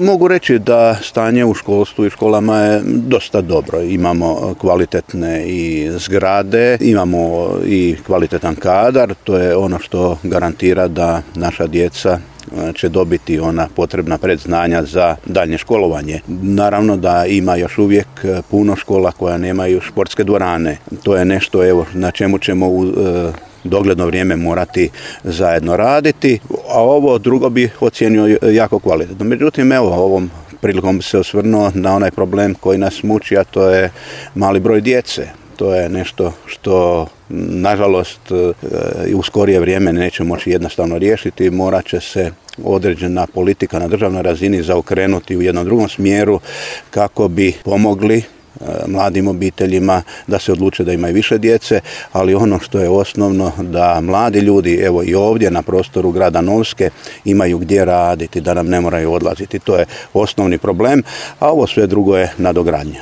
Mogu reći da stanje u školstvu i školama je dosta dobro. Imamo kvalitetne i zgrade, imamo i kvalitetan kadar. To je ono što garantira da naša djeca će dobiti ona potrebna predznanja za daljnje školovanje. Naravno da ima još uvijek puno škola koja nemaju športske dvorane. To je nešto na čemu ćemo u dogledno vrijeme morati zajedno raditi, a ovo drugo bi ocijenio jako kvalitetno. Međutim, ovom prilikom bi se osvrnuo na onaj problem koji nas muči, a to je mali broj djece. To je nešto što nažalost u skorije vrijeme neće moći jednostavno riješiti. Morat će se određena politika na državnoj razini zaokrenuti u jednom drugom smjeru kako bi pomogli mladim obiteljima da se odluče da imaju više djece, ali ono što je osnovno da mladi ljudi, i ovdje na prostoru grada Novske, imaju gdje raditi, da nam ne moraju odlaziti. To je osnovni problem, a ovo sve drugo je nadogradnja.